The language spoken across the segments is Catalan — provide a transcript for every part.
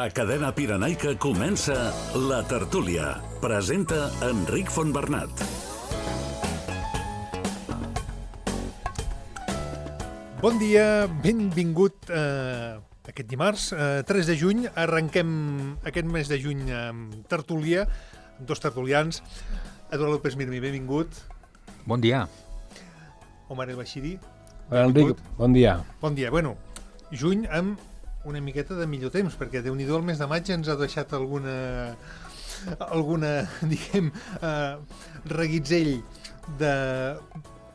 A Cadena Pirenaica comença La Tertúlia. Presenta Enric Fontbernat. Bon dia, benvingut aquest dimarts, 3 de juny. Arrenquem aquest mes de juny amb tertúlia, amb dos tertulians. Eduard López Mirmi, benvingut. Bon dia. Omar El Bashiri. Hola, Enric, bon dia. Bon dia. Bueno, juny amb una miqueta de millor temps, perquè Déu-n'hi-do el mes de maig ens ha deixat alguna diguem, reguitzell de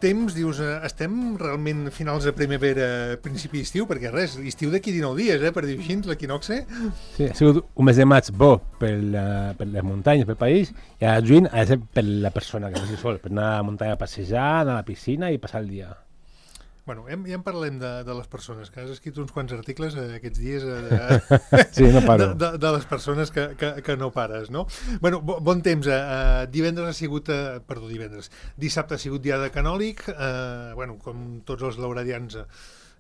temps. Dius, estem realment finals de primavera, principi d'estiu, perquè res, l'estiu d'aquí 19 dies, per dir-ho així, l'equinoxe. Sí, ha sigut un mes de maig bo per les muntanyes, pel país, i a juny ha de ser per la persona que faci sol, per anar a la muntanya a passejar, anar a la piscina i passar el dia. Bueno, ja en parlem de les persones, que has escrit uns quants articles aquests dies sí, no paro. de les persones que no pares, no? Bueno, bon temps. Divendres ha sigut... Dissabte ha sigut dia de Canòlig. Bueno, com tots els lauradians,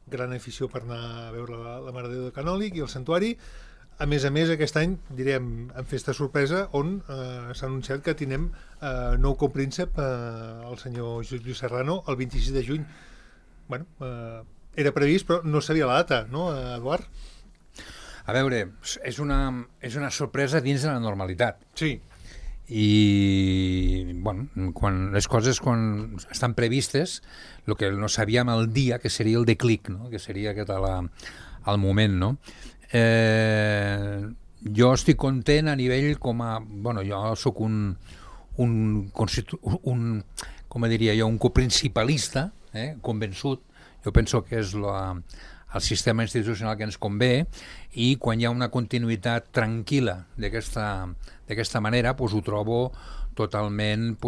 gran afició per anar a veure la Mare de Déu de Canòlig i el santuari. A més, aquest any, direm, en festa sorpresa, on s'ha anunciat que tindrem nou copríncep, el senyor Lluís Serrano, el 26 de juny. Bueno, era previst, però no sabia la data, no, Eduard? A veure, és una sorpresa dins de la normalitat. Sí. I, bueno, quan les coses estan previstes, el que no sabíem el dia, que seria el declic, no? Que seria aquest al moment, no? Jo estic content a nivell com a... Bueno, jo sóc un coprincipalista, convençut. Jo penso que és el sistema institucional que ens convé, i quan hi ha una continuïtat tranquil·la d'aquesta manera, doncs ho trobo totalment,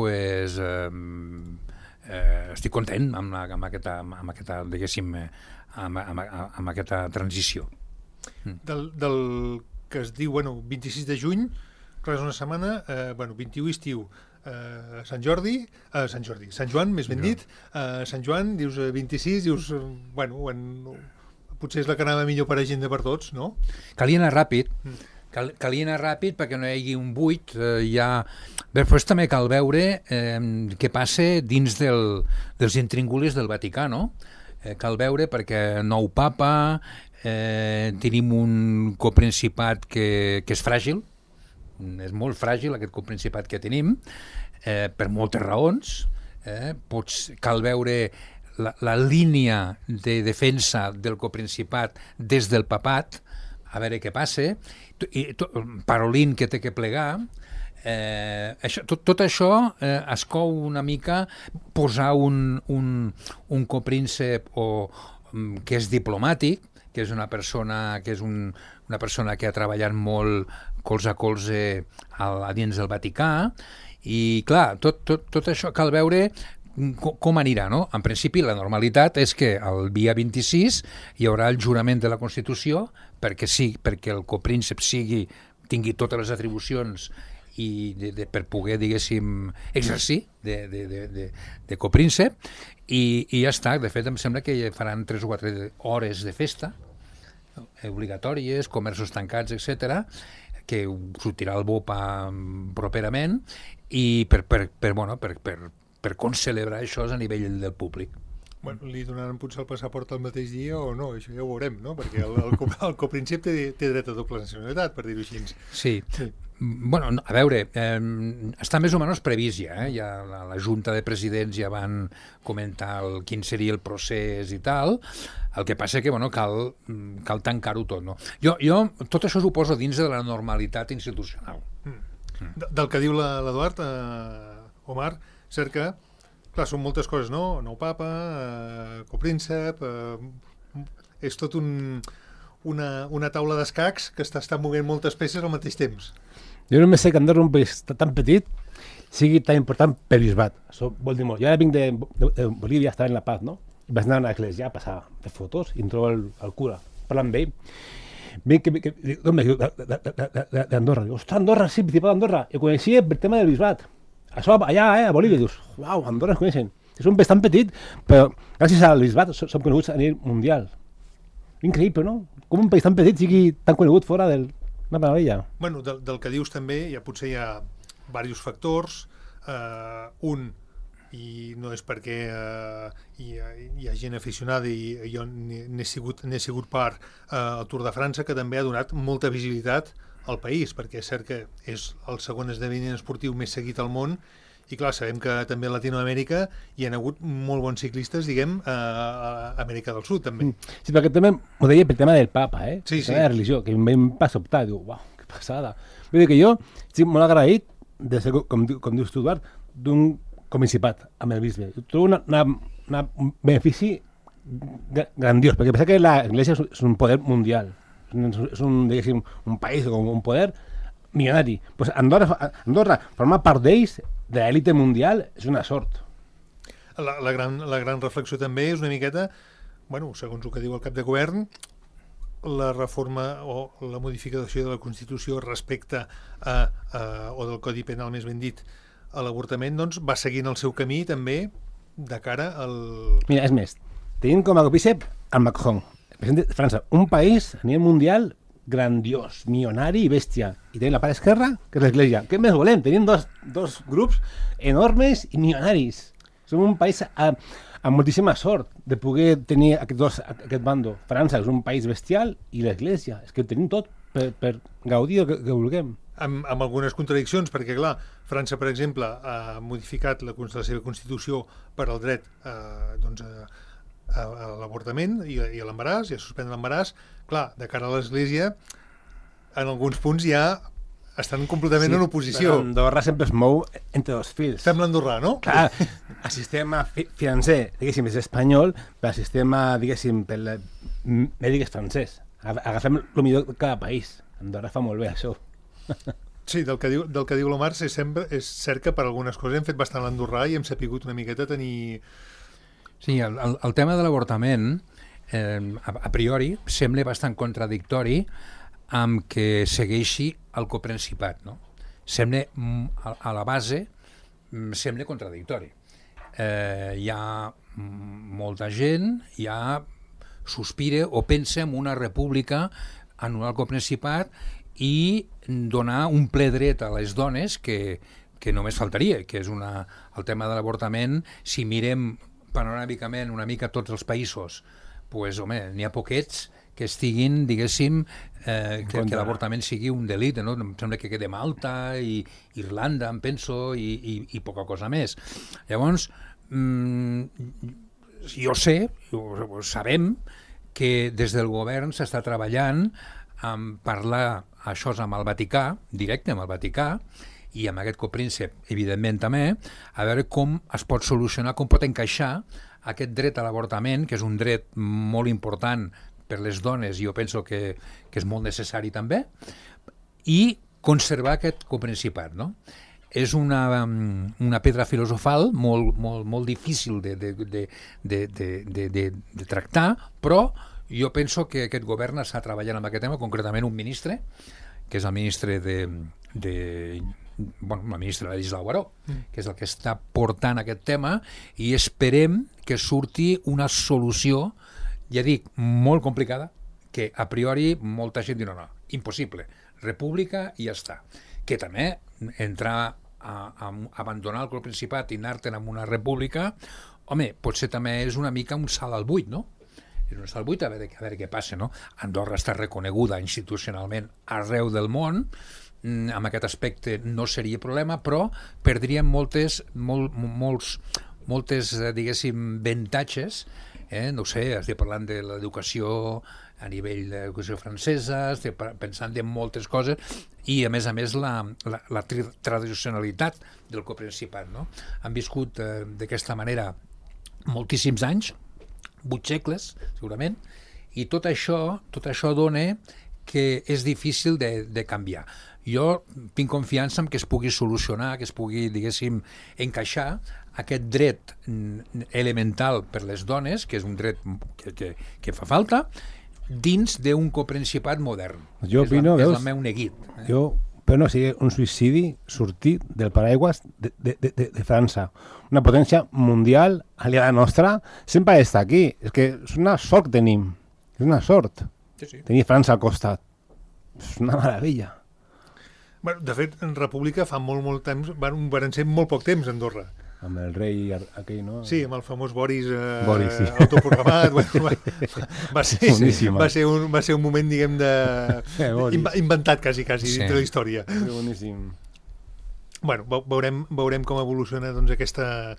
estic content amb aquesta, diguéssim, amb aquesta transició. Del que es diu, 26 de juny, clar, és una setmana, 21 estiu, Sant Joan, més ben dit, Sant Joan, dius 26, dius, potser és la que anava millor per agenda per tots, no? Calia anar ràpid, perquè no hi hagi un buit. Després també cal veure què passa dins dels intríngulis del Vaticà, no? Cal veure perquè nou papa, tenim un coprincipat que és fràgil, és molt fràgil aquest coprincipat que tenim, per moltes raons. Cal veure la línia de defensa del coprincipat des del papat, a veure què passa, Parolin que té que plegar. Tot això es cou una mica, posar un copríncep que és diplomàtic, que és una persona que ha treballat molt colze a colze a dins del Vaticà, i clar, tot això cal veure com anirà, no? En principi la normalitat és que el dia 26 hi haurà el jurament de la Constitució perquè el copríncep tingui totes les atribucions per poder, diguéssim, exercir de copríncep, i ja està. De fet, em sembla que faran 3 o 4 hores de festa obligatòries, comerços tancats, etc., que sortirà el BOP properament, i per concelebrar això a nivell del públic. Li donaran potser el passaport el mateix dia o no, això ja ho veurem, no? Perquè el copríncep té dret a doble nacionalitat, per dir-ho així. Sí. Bueno, a veure, està més o menys previst ja, ja la Junta de Presidents ja van comentar quin seria el procés i tal. El que passa que cal tancar-ho tot, no? Jo tot això ho poso dins de la normalitat institucional. Del que diu l'Eduard, Omar, cerca, clar, són moltes coses, no? Nou papa, copríncep, és tot una taula d'escacs que està movent moltes peces al mateix temps. Jo només sé que Andorra, un país tan petit, sigui tan important per bisbat. Això vol dir molt. Jo ara vinc de Bolívia, estava en La Paz, no? Vaig anar a una església a passar de fotos i em trobo el cura parlant amb ell. D'on ve? D'Andorra. Diu, ostres, Andorra, sí, principal d'Andorra. I coneixia per tema del bisbat. Això allà, a Bolívia. Dius, uau, Andorra es coneixen. És un país tan petit, però gràcies al bisbat som coneguts a nivell mundial. Increïble, no? Com un país tan petit sigui tan conegut fora del Una meravella. Bueno, del que dius també, potser hi ha diversos factors. Un, i no és perquè hi ha gent aficionada i jo n'he sigut part al Tour de França, que també ha donat molta visibilitat al país, perquè és cert que és el segon esdeveniment esportiu més seguit al món, i clar, sabem que també a Latinoamèrica hi ha hagut molt bons ciclistes, diguem, a Amèrica del Sud també. Sí, perquè també ho deia pel tema del papa, Sí, sí. La religió, que em va sobtar, diu, uau, que passada. Vull dir que jo estic molt agraït de ser, com dius tu, Eduard, d'un comincipat amb el bisbe. Trobo un benefici grandiós, perquè pensa que l'Església és un poder mundial, és un país com un poder milionari. Pues Andorra formar part d'ells, de l'élite mundial, és una sort. La gran reflexió també és una miqueta, bueno, segons el que diu el cap de govern, la reforma o la modificació de la Constitució respecte o del Codi Penal, més ben dit, a l'avortament, doncs va seguint el seu camí també de cara al... Mira, és més, tenim com a copícep el Macron, el president de França, un país a nivell mundial grandiós, milionari i bèstia. I tenim la part esquerra, que és l'Església. Què més volem? Tenim dos grups enormes i milionaris. Som un país amb moltíssima sort de poder tenir aquest bando. França és un país bestial i l'Església. És que ho tenim tot per gaudir el que vulguem. Amb algunes contradiccions, perquè clar, França, per exemple, ha modificat la seva Constitució per al dret a l'avortament i a l'embaràs, i a suspendre l'embaràs. Clar, de cara a l'Església, en alguns punts ja estan completament en oposició. Andorra sempre es mou entre dos fils. Fem l'andorrà, no? Clar, el sistema financer, diguéssim, és espanyol, però el sistema, diguéssim, pel mèdic és francès. Agafem el millor de cada país. Andorra fa molt bé això. Sí, del que diu l'Omar és cert que per algunes coses hem fet bastant l'andorrà i hem sapigut una miqueta tenir... Sí, el tema de l'avortament, a priori, sembla bastant contradictori amb que segueixi el coprincipat, no? Sembla, a la base, sembla contradictori. Hi ha molta gent, ja sospira o pensa en una república, anul·lar el coprincipat i donar un ple dret a les dones que només faltaria, que és el tema de l'avortament. Si mirem panoràmicament una mica tots els països, pues, home, n'hi ha poquets que estiguin, diguéssim, que l'avortament sigui un delicte, no? Em sembla que queda Malta i Irlanda, em penso, i poca cosa més. Llavors, jo sé, sabem que des del govern s'està treballant en parlar això amb el Vaticà, directe amb el Vaticà, i amb aquest copríncep, evidentment també, a veure com es pot solucionar, com pot encaixar aquest dret a l'avortament, que és un dret molt important per les dones, i jo penso que és molt necessari també, i conservar aquest coprincipat, no? És una pedra filosofal molt difícil de tractar, però jo penso que aquest govern està treballant amb aquest tema, concretament un ministre, que és el ministre la ministra Ladislau Baró, que és el que està portant aquest tema, i esperem que surti una solució, ja dic, molt complicada, que a priori molta gent diu no, impossible, república i ja està. Que també entrar a abandonar el coprincipat i anar-te'n amb una república, home, potser també és una mica un salt al buit, no? És un salt al buit, a veure què passa, no? Andorra està reconeguda institucionalment arreu del món, amb aquest aspecte no seria problema, però perdríem moltes diguéssim, avantatges, no ho sé, estic parlant de l'educació a nivell d'educació francesa, estic pensant en moltes coses, i a més la tradicionalitat del coprincipat, no? Han viscut d'aquesta manera moltíssims anys, 8 segles, segurament, i tot això dona que és difícil de canviar. Jo tinc confiança en que es pugui solucionar, que es pugui, diguéssim, encaixar aquest dret elemental per les dones, que és un dret que fa falta, dins d'un coprincipat modern. Jo opino, és el meu neguit. Jo però no sigui un suïcidi sortir del paraigües de França. Una potència mundial aliada nostra sempre està aquí. És que és una sort que tenim. És una sort. Sí. Tenir França al costat. És una meravella. Bueno, de fet, en República fa molt temps, van ser molt poc temps a Andorra. Amb el rei aquell, no? Sí, amb el famós Boris, Boris, sí. autoproclamat. Va ser un moment, diguem, inventat quasi Sí. dintre la història. Boníssim. Bueno, veurem com evoluciona doncs, aquesta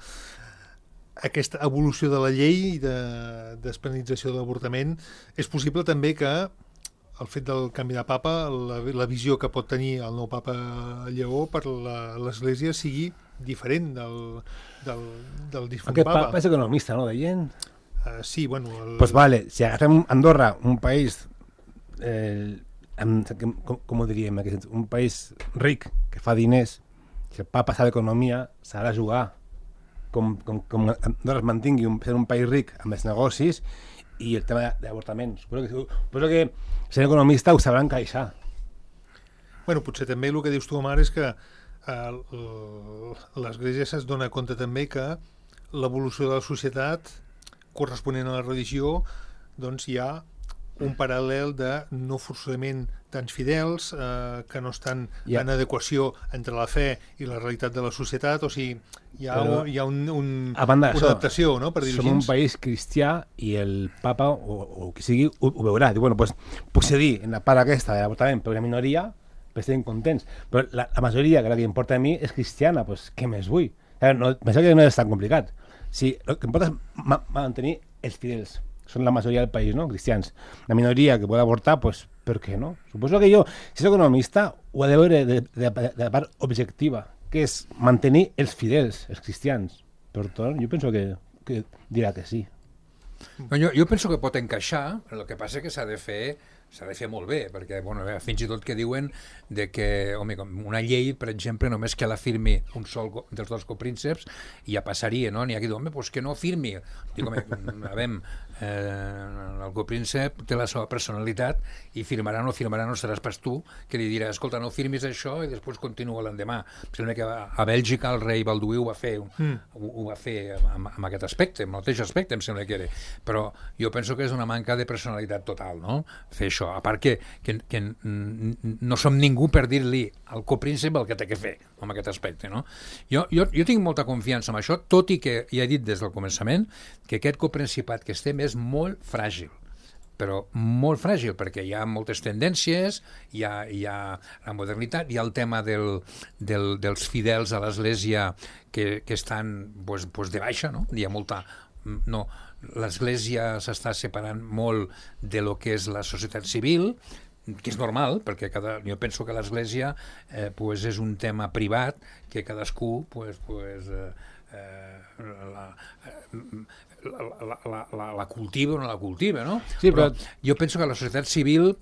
evolució de la llei i de despenalització de l'avortament. És possible també que el fet del canvi de papa, la visió que pot tenir el nou papa Lleó per l'Església sigui diferent del difunt Aquest papa. papa és economista, no, deien? Sí, bueno... Pues vale, si agafem Andorra, un país, com ho diríem, un país ric, que fa diners, si el papa sabe economia, s'ha de jugar com Andorra es mantingui ser un país ric amb els negocis i el tema d'avortament. Suposo que sent economista ho sabran encaixar. Bueno, potser també el que dius tu, Omar, és que l'Església es dona compte també que l'evolució de la societat corresponent a la religió, doncs hi ha un paral·lel de no forçosament tants fidels, que no estan en adequació entre la fe i la realitat de la societat, o sigui, hi ha una adaptació, no?, per dir-ho així. Som un país cristià i el papa, o qui sigui, ho veurà. Diu, bueno, pues, puc cedir en la part aquesta de l'avortament per una minoria, per estar contents, però la majoria, que la que importa a mi, és cristiana, pues, què més vull? Penso que no és tan complicat. Sí, el que importa és mantenir els fidels. Són la majoria del país, no?, cristians. La minoria que pot avortar, pues, per què no? Suposo que jo, si soc economista, ho he de veure de la part objectiva, que és mantenir els fidels, els cristians. Per tant, jo penso que dirà que sí. Jo penso que pot encaixar, el que passa que s'ha de fer molt bé, perquè fins i tot que diuen de que una llei, per exemple, només que la firmi un sol dels dos coprínceps ja passaria, no? N'hi ha qui diu, pues que no firmi. Dic, el copríncep té la seva personalitat i firmarà o no firmarà, no seràs pas tu que li dirà, escolta, no firmis això i després continua l'endemà. Sembla que a Bèlgica el rei Balduí ho va fer amb aquest aspecte, amb el mateix aspecte, em sembla que era. Però jo penso que és una manca de personalitat total, no?, fer això. A part que no som ningú per dir-li al copríncep el que té que fer amb aquest aspecte, no? Jo tinc molta confiança en això, tot i que ja he dit des del començament que aquest coprincipat que estem és molt fràgil, però molt fràgil, perquè hi ha moltes tendències, hi ha la modernitat, hi ha el tema dels fidels a l'Església que estan de baixa, no? Hi ha molta... No, l'Església s'està separant molt de lo que és la societat civil, que és normal, perquè jo penso que l'Església és un tema privat que cadascú la cultiva o no la cultiva, no? Sí, però jo penso que la societat civil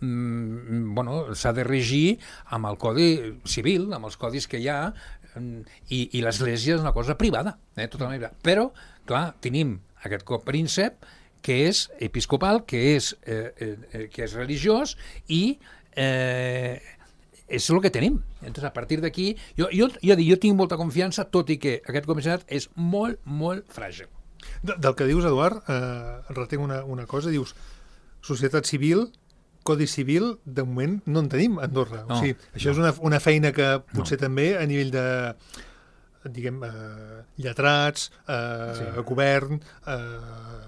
s'ha de regir amb el codi civil, amb els codis que hi ha, i l'Església és una cosa privada, totalment privada. Però, clar, tenim aquest copríncep que és episcopal, que és religiós i és el que tenim. Entonces, a partir d'aquí, jo tinc molta confiança, tot i que aquest comissionat és molt, molt fràgil. Del que dius, Eduard, retenc una cosa, dius societat civil, codi civil, de moment no en tenim a Andorra. O sigui, això és una feina que potser també a nivell de diguem, lletrats, govern,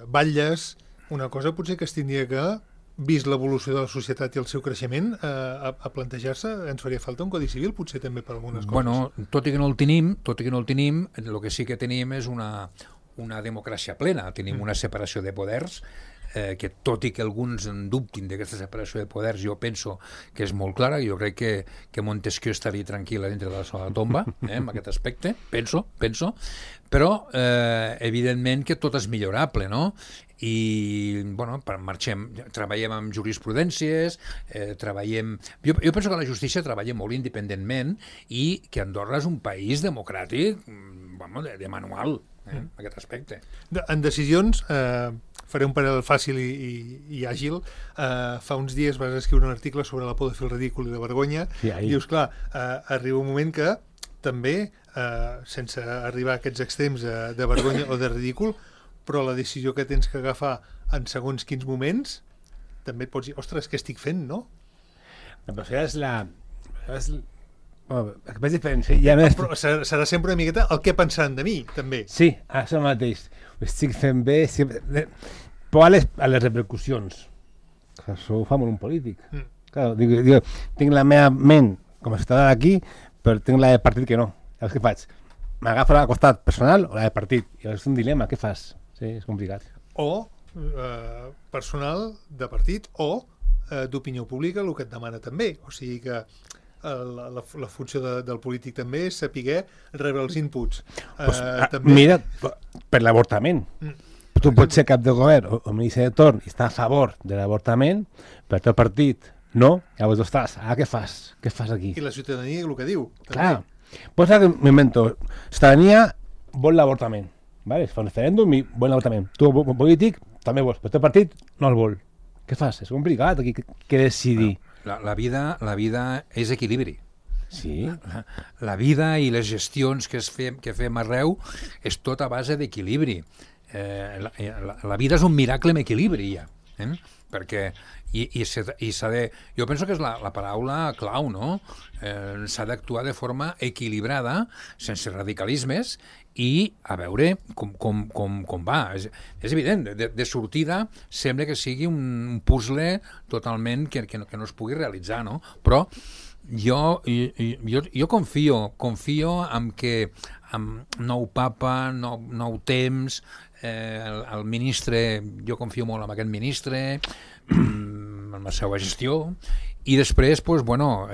batlles, una cosa potser que es tindria que, vist l'evolució de la societat i el seu creixement, a plantejar-se, ens faria falta un codi civil, potser també per algunes coses. Bueno, tot i que no el tenim, el que sí que tenim és una democràcia plena, tenim una separació de poders, que tot i que alguns en dubtin d'aquesta separació de poders, jo penso que és molt clara. Jo crec que Montesquieu estaria tranquil·la dintre de la seva tomba, en aquest aspecte, penso, però evidentment que tot és millorable, no? I treballem amb jurisprudències, jo penso que la justícia treballa molt independentment i que Andorra és un país democràtic de manual, en aquest aspecte. En decisions, faré un paral·lel fàcil i àgil. Fa uns dies vas escriure un article sobre la por de fer el ridícul i la vergonya. Dius, clar, arriba un moment que també, sense arribar a aquests extrems de vergonya o de ridícul, però la decisió que tens que agafar en segons quins moments, també et pots dir, ostres, què estic fent, no? Però això és la... El que és diferent. Sí, ja més... Però serà sempre una miqueta el que pensaran de mi, també. Sí, això mateix. Ho estic fent bé. Però a les repercussions. Això ho fa molt un polític. Claro, dic, tinc la meva ment com a ciutadà d'aquí, però tinc la de partit que no. Llavors què faig? M'agafo la costat personal o la de partit? I és un dilema, què fas? Sí, és complicat. O personal de partit o d'opinió pública, el que et demana també. O sigui que la funció del polític també és saber rebre els inputs. També... Mira, per l'avortament. Tu pots ser cap de govern o ministre de torn i estar a favor de l'avortament, però el teu partit no, llavors estàs, què fas? Què fas aquí? I la ciutadania, el que diu. Clar, pues que m'invento, ciutadania vol l'avortament, vale? Es fa un referèndum i vol l'avortament. Tu, polític, també vols, però el teu partit no el vol. Què fas? És complicat aquí que decidir. La vida és equilibri. Sí. La vida i les gestions que fem arreu és tot a base d'equilibri. La vida és un miracle en equilibri, ja. Perquè s'ha de... Jo penso que és la paraula clau, no? S'ha d'actuar de forma equilibrada, sense radicalismes, i a veure com va. És evident, de sortida sembla que sigui un puzzle totalment que no es pugui realitzar, no? Però jo confio en que amb nou papa, nou temps, el ministre, jo confio molt en aquest ministre, en la seva gestió, i després, pues, bueno,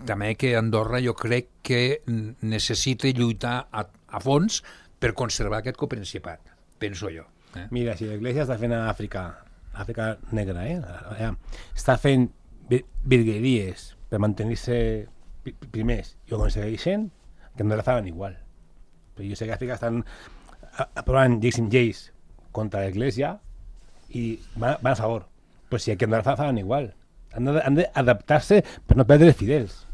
també que Andorra jo crec que necessita lluitar a fons per conservar aquest coprincipat, penso jo. Mira, si l'Església està fent a Àfrica negra, està fent virgueries per mantenir-se primers i ho aconsegueixen, que no la fan igual. Però jo sé que a Àfrica estan aprovant lleis contra l'Església i van a favor. Però si aquí no la fan igual. Han d'adaptar-se per no perdre els fidels.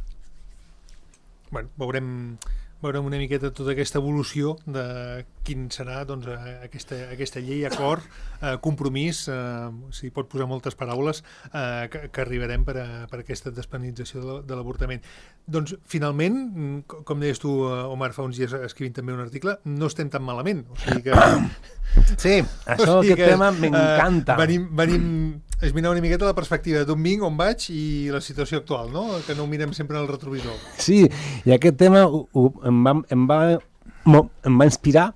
Bueno, veurem una miqueta tota aquesta evolució de quin serà, doncs, aquesta llei, acord, compromís, si pot posar moltes paraules, que arribarem per aquesta despenalització de l'avortament. Doncs, finalment, com deies tu, Omar, fa uns dies escrivint també un article, no estem tan malament. O sigui que... Sí, això, aquest tema m'encanta. Venim és mirar una miqueta la perspectiva d'on vinc, on vaig i la situació actual, no? Que no ho mirem sempre en el retrovisor. Sí, i aquest tema em va inspirar,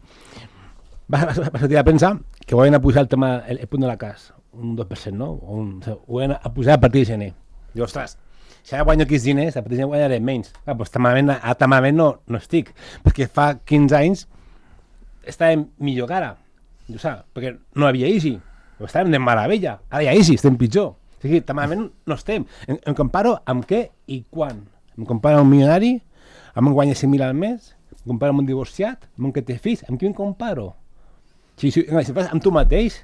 va sortir a pensar que ho van a posar el punt de la cas, un 2%, no? Ho van a posar a partir de gener. I, ostres, si ara guanyo aquests diners, a partir de gener guanyaré menys. Doncs tan malament no estic, perquè fa 15 anys estàvem millor que ara, jo saps, perquè no havia Easy. Estàvem de meravella, ara ja estem pitjor. O sigui, tan malament no estem. Em comparo amb què i quan. Em comparo amb un milionari, amb un guanya 5.000 al mes, em comparo amb un divorciat, amb un que té fills, amb qui em comparo? Si fas amb tu mateix,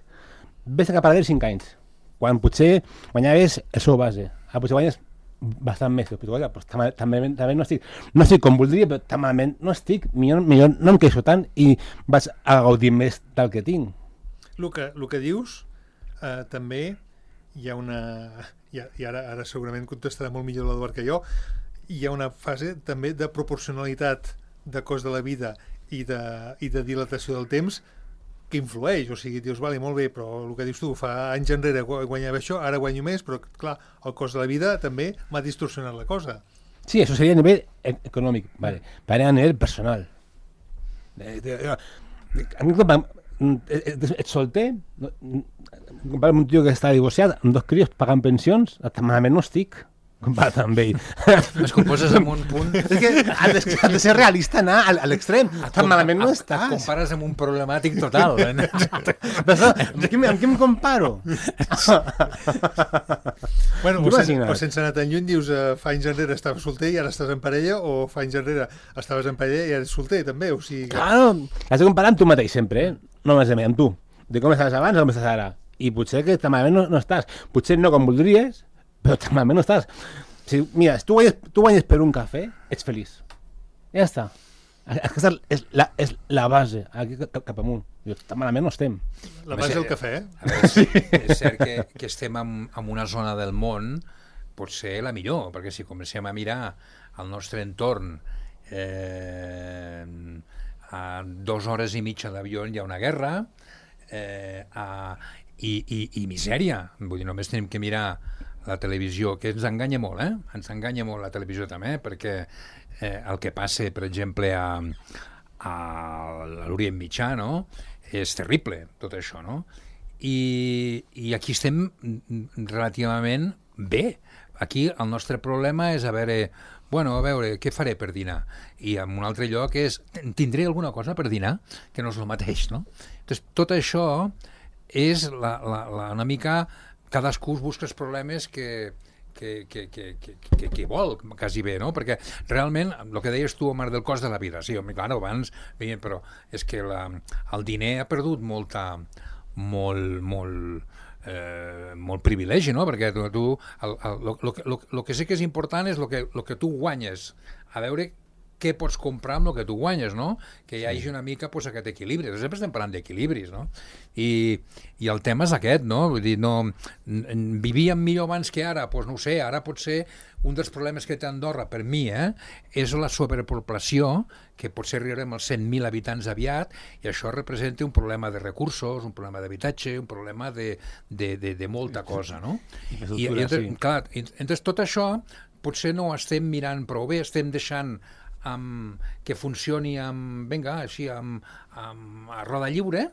ves a cap a 5 anys, quan potser guanyaves el seu base. Ara potser guanyes bastant més, però també no estic com voldria, però tan malament no estic, millor no em queixo tant i vaig a gaudir més del que tinc. El que dius, també hi ha una... I ara segurament contestarà molt millor l'Eduard que jo, hi ha una fase també de proporcionalitat de cost de la vida i de dilatació del temps que influeix, o sigui, dius, vale, molt bé, però el que dius tu, fa anys enrere guanyava això, ara guanyo més, però clar, el cost de la vida també m'ha distorsionat la cosa. Sí, això seria a nivell econòmic, vale. Però a nivell personal. Ets solter, comparat amb un tio que està divorciat, amb 2 crios pagant pensions, malament no estic, comparat amb ell. Es composes amb un punt... És que has de ser realista, anar a l'extrem, tan malament no estàs. Et compares amb un problemàtic total. Amb qui em comparo? Bueno, o sense anar tan lluny, dius, fa anys enrere estaves solter i ara estàs en parella, o fa anys enrere estaves en parella i ara ets solter, també, o sigui... Claro, has de comparar amb tu mateix sempre, no més amb tu, de com estaves abans o com estàs ara. I potser que tan malament no estàs. Potser no com voldries, però tan malament no estàs. Mira, si tu guanyes per un cafè, ets feliç. Ja està. Aquesta és la base, aquí cap amunt. Tan malament no estem. La base del cafè, A veure, és cert que estem en una zona del món pot ser la millor, perquè si comencem a mirar el nostre entorn a 2 hores i mitja d'avió hi ha una guerra i misèria. Vull dir, només tenim que mirar la televisió, que ens enganya molt, ens enganya molt la televisió també, perquè el que passa, per exemple, a l'Orient Mitjà, no? És terrible, tot això, no? I aquí estem relativament bé. Aquí el nostre problema és a veure, què faré per dinar? I en un altre lloc tindré alguna cosa per dinar? Que no és el mateix, no? Entonces, tot això és una mica... Cadascú busca els problemes que vol, quasi bé, no? Perquè realment, el que deies tu, Omar, del cost de la vida, sí, clar, abans, però és que el diner ha perdut molt privilegi, no? Perquè tu el que sí que és important és el que tu guanyes, a veure què pots comprar amb el que tu guanyes, no? Que hi hagi una mica aquest equilibri. Sempre estem parlant d'equilibris, no? I el tema és aquest, no? Vull dir, vivíem millor abans que ara, doncs no ho sé, ara pot ser un dels problemes que té Andorra, per mi, és la sobrepoblació, que potser arribarem als 100.000 habitants aviat, i això representa un problema de recursos, un problema d'habitatge, un problema de molta cosa, no? I clar, entonces tot això potser no ho estem mirant prou bé, estem deixant que funcioni a roda lliure,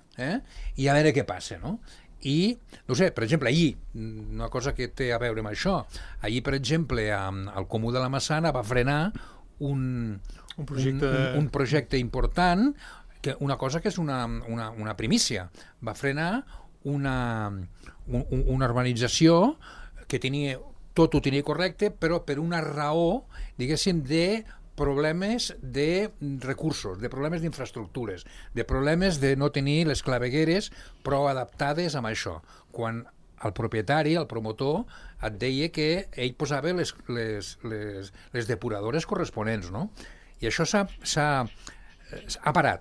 i a veure què passa, no? I, no sé, per exemple, ahir, una cosa que té a veure amb això, ahir, per exemple, el Comú de la Massana va frenar un projecte important, una cosa que és una primícia. Va frenar una urbanització que tot ho tenia correcte, però per una raó, diguéssim, de problemes de recursos, de problemes d'infraestructures, de problemes de no tenir les clavegueres prou adaptades amb això. Quan el propietari, el promotor, et deia que ell posava les depuradores corresponents, no? I això s'ha parat.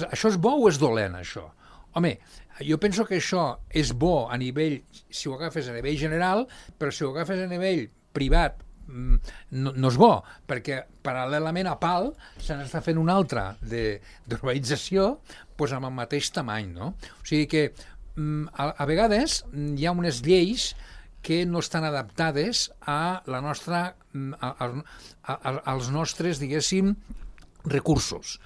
Això és bo o és dolent, això? Home, jo penso que això és bo a nivell, si ho agafes a nivell general, però si ho agafes a nivell privat, no és bo, perquè paral·lelament a PAL se n'està fent una altra d'urbanització amb el mateix tamany, no? O sigui que a vegades hi ha unes lleis que no estan adaptades a la nostra als nostres, diguéssim, recursos.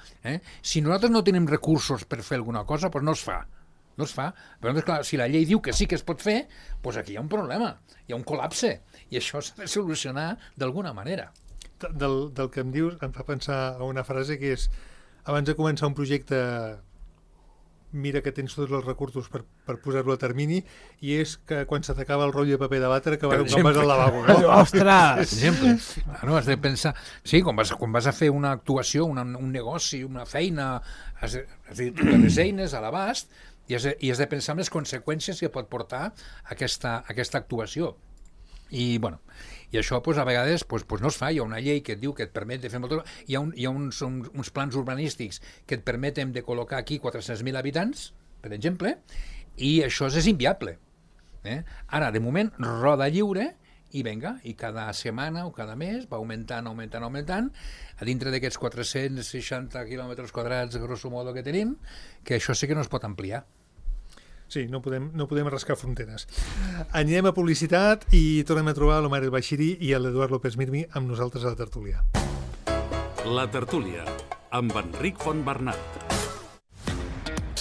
Si nosaltres no tenim recursos per fer alguna cosa, doncs no es fa. No es fa. Però, clar, si la llei diu que sí que es pot fer, doncs aquí hi ha un problema, hi ha un col·lapse, i això s'ha de solucionar d'alguna manera. Del que em dius em fa pensar a una frase que és: abans de començar un projecte, mira que tens tots els recursos per posar-lo a termini, i és que quan se t'acaba el rotllo de paper de batre que quan vas al lavabo, no? Ostres! Per exemple, has de pensar... Sí, quan vas a fer una actuació, un negoci, una feina, has de tenir les eines a l'abast, i has de pensar en les conseqüències que pot portar aquesta actuació. I això a vegades no es fa. Hi ha una llei que et diu que et permet de fer hi ha uns plans urbanístics que et permeten de col·locar aquí 400.000 habitants, per exemple, i això és inviable. Ara, de moment, roda lliure, i cada setmana o cada mes va augmentant, a dintre d'aquests 460 quilòmetres quadrats, grosso modo, que tenim, que això sí que no es pot ampliar. Sí, no podem rascar fronteres. Anem a publicitat i tornem a trobar l'Omar El Baixiri i l'Eduard López Mirmi amb nosaltres a la tertúlia. La tertúlia, amb Enric Fontbernat.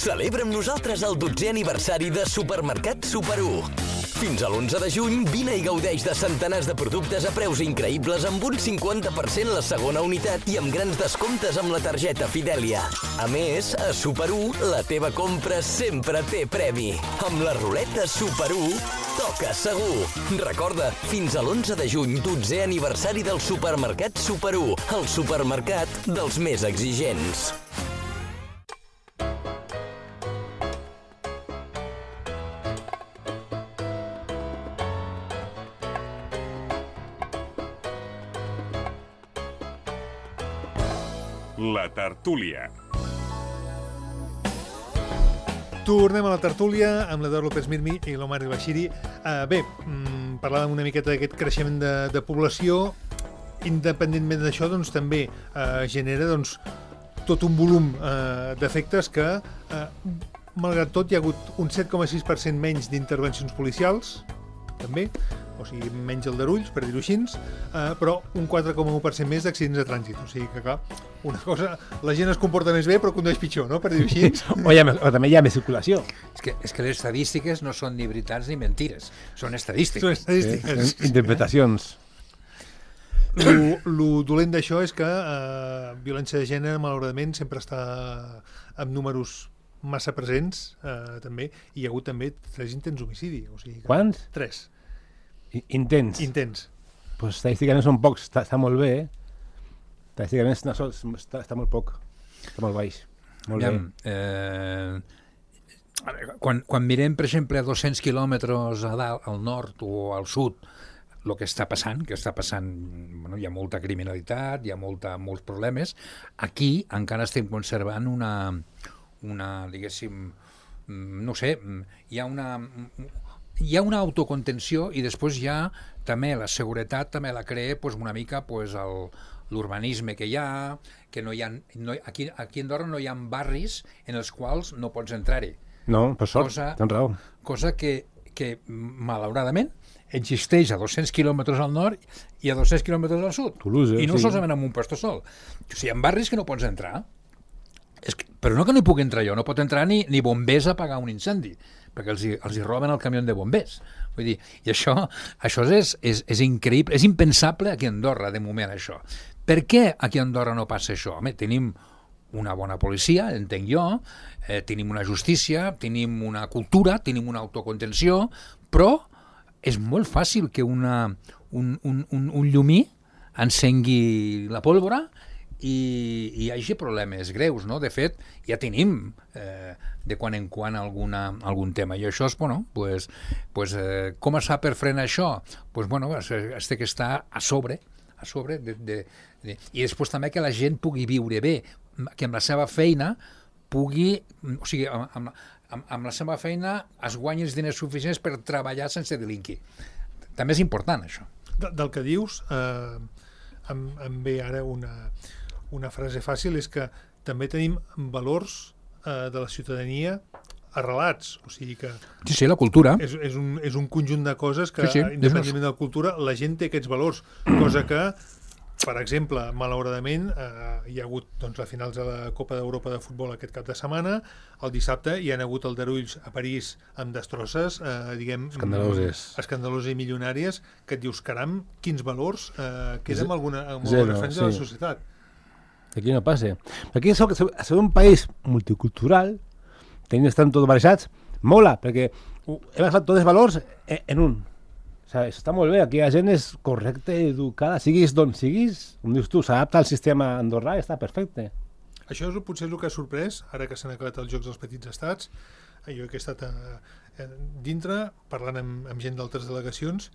Celebra amb nosaltres el 12è aniversari de Supermercat Super 1. Fins a l'11 de juny, vine i gaudeix de centenars de productes a preus increïbles amb un 50% la segona unitat i amb grans descomptes amb la targeta Fidelia. A més, a Super 1, la teva compra sempre té premi. Amb la ruleta Super 1, toca segur. Recorda, fins a l'11 de juny, 12è aniversari del Supermercat Super 1, el supermercat dels més exigents. La tertúlia. Tornem a la tertúlia amb l'Eduard López Mirmi i l'Omar El-Bashiri. Parlàvem una miqueta d'aquest creixement de població. Independentment d'això, doncs, també genera tot un volum d'efectes que, malgrat tot, hi ha hagut un 7,6% menys d'intervencions policials, també, o sigui, menys aldarulls, per dir-ho així, però un 4,1% més d'accidents de trànsit. O sigui que, clar, una cosa, la gent es comporta més bé però condueix pitjor, no?, per dir-ho així. O també hi ha més circulació. És que les estadístiques no són ni veritats ni mentires, són estadístiques. Són estadístiques. Interpretacions. Lo dolent d'això és que violència de gènere, malauradament, sempre està amb números massa presents, també. Hi ha hagut també 3 intents d'homicidi. O sigui que... Quants? 3. Intents. Pues estadísticament són pocs, està molt bé, Estadísticament està molt poc, està molt baix. Molt bé. Quan mirem, per exemple, a 200 quilòmetres a dalt, al nord o al sud, el que està passant, bueno, hi ha molta criminalitat, hi ha molts problemes. Aquí encara estem conservant una diguéssim, no sé, hi ha una autocontenció i després hi ha també la seguretat, també la crea una mica l'urbanisme que hi ha, que aquí a Andorra no hi ha barris en els quals no pots entrar-hi. No, per sort, tens raó. Cosa que malauradament existeix a 200 quilòmetres al nord i a 200 quilòmetres al sud. Toulouse, I no solament en un puesto sol. O sigui, hi ha barris que no pots entrar. Però no que no hi puc entrar jo, no pot entrar ni bombers a apagar un incendi, perquè els hi roben el camió de bombers. Vull dir, i això és increïble, és impensable aquí a Andorra, de moment, això. Per què aquí a Andorra no passa això? Home, tenim una bona policia, entenc jo, tenim una justícia, tenim una cultura, tenim una autocontenció, però és molt fàcil que un llumí encengui la pólvora i hi hagi problemes greus, no? De fet, ja tenim de quan en quan algun tema. I això és, bueno, com es fa per frenar això? Es té que estar a sobre, i després també que la gent pugui viure bé, que amb la seva feina pugui, o sigui, amb la seva feina es guanyi els diners suficients per treballar sense delinquir. També és important, això. Del que dius, em ve ara una frase fàcil, és que també tenim valors de la ciutadania arrelats, o sigui que... Sí, la cultura. És un conjunt de coses que, independentment de la cultura, la gent té aquests valors, cosa que, per exemple, malauradament, hi ha hagut a finals de la Copa d'Europa de futbol aquest cap de setmana, el dissabte hi ha hagut aldarulls a París amb destrosses, diguem... Escandaloses i milionàries, que et dius, caram, quins valors queden en alguna franja de la societat. Aquí no passa. Aquí ser un país multicultural, tenint estan tots barrejats, mola, perquè hem agafat tots els valors en un. O sigui, està molt bé, aquí la gent és correcta, educada, siguis d'on siguis, com dius tu, s'adapta al sistema andorrà i està perfecte. Això potser és el que ha sorprès, ara que s'han acabat els Jocs dels Petits Estats, jo que he estat dintre, parlant amb gent d'altres delegacions,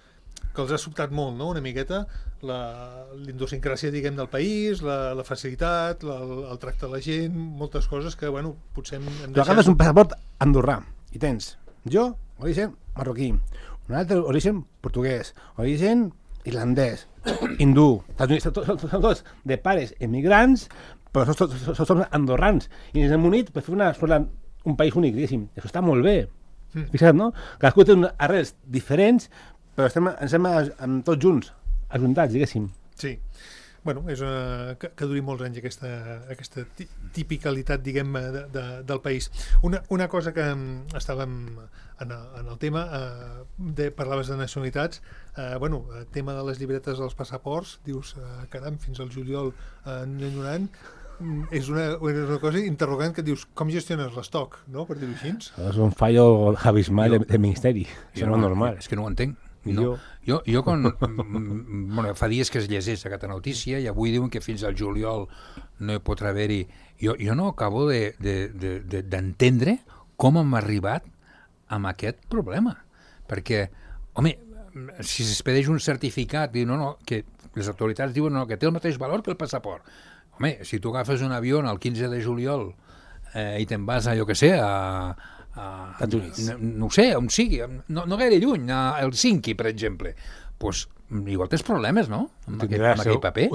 que els ha sobtat molt, no?, una miqueta, l'idiosincràsia, diguem, del país, la facilitat, el tracte de la gent, moltes coses que, bueno, potser hem deixat... Tu agafes un passaport andorrà i tens jo, origen marroquí, un altre origen portuguès, origen irlandès, hindú, són tots de pares emigrants, però som andorrans, i ens hem unit per fer un país únic, diguéssim. Això està molt bé. Fixa't, no? Cadascú té unes arrels diferents, però estem tots junts, ajuntats, diguéssim. Sí. Bueno, és que duri molts anys aquesta tipicalitat, diguem, del país. Una cosa que estàvem en el tema, parlaves de nacionalitats, bueno, el tema de les llibretes dels passaports, dius, caram, fins al juliol enyorant, és una cosa interrogant que dius, com gestiones l'estoc, no?, per dir-ho així. És un fallo abismal del Ministeri, això no és normal. És que no ho entenc. No. Jo bueno, fa dies que es llegeix aquesta notícia i avui diuen que fins al juliol no hi podrà haver-hi. Jo no acabo d'entendre com hem arribat amb aquest problema. Perquè, home, si s'expedeix un certificat, que les autoritats diuen que té el mateix valor que el passaport. Home, si tu agafes un avió el 15 de juliol i te'n vas a, jo què sé, Estats Units. no ho sé, on sigui, no gaire lluny, a Helsinki, per exemple, doncs igual tens problemes, no? Amb aquell paper.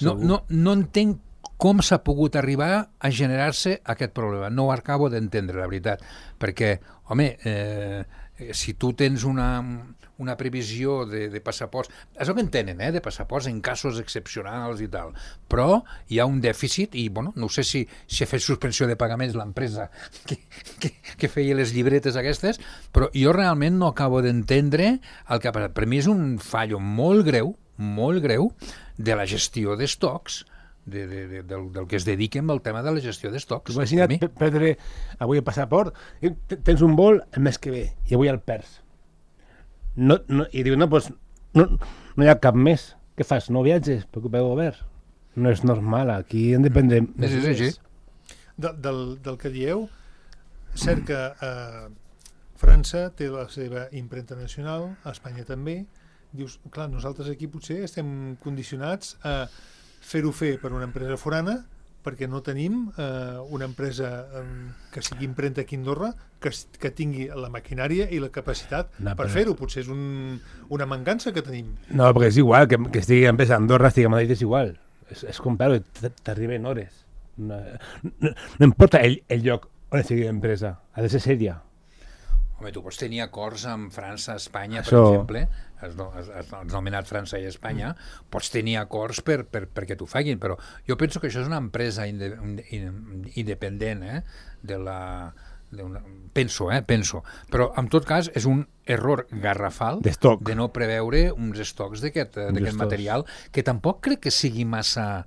No entenc com s'ha pogut arribar a generar-se aquest problema. No ho acabo d'entendre, la veritat, perquè, home, si tu tens una previsió de passaports, és el que en tenen, de passaports en casos excepcionals i tal, però hi ha un dèficit i, bueno, no sé si ha fet suspensió de pagaments l'empresa que feia les llibretes aquestes, però jo realment no acabo d'entendre el que ha passat. Per mi és un fallo molt greu de la gestió d'estocs, del que es dediquen al tema de la gestió d'estocs. Imagina't perdre avui el passaport, tens un vol el mes que ve i avui el perds. I diu, no hi ha cap més. Què fas? No viatges? Preocupa el govern. No és normal, aquí hem de prendre mesures. Del que dieu, cert que França té la seva impremta nacional, a Espanya també. Dius, clar, nosaltres aquí potser estem condicionats a fer-ho fer per una empresa forana perquè no tenim una empresa que sigui impremta aquí a Andorra que tingui la maquinària i la capacitat per fer-ho. Potser és una mancança que tenim. No, perquè és igual, que estigui empresa a Andorra, estigui a Madrid, és igual. És comprar-ho, t'arriba en hores. No importa el lloc on estigui l'empresa, ha de ser sèria. Home, tu pots tenir acords amb França, Espanya, per exemple, has nomenat França i Espanya, pots tenir acords perquè t'ho facin, però jo penso que això és una empresa independent penso, però en tot cas és un error garrafal de no preveure uns estocs d'aquest material, que tampoc crec que sigui massa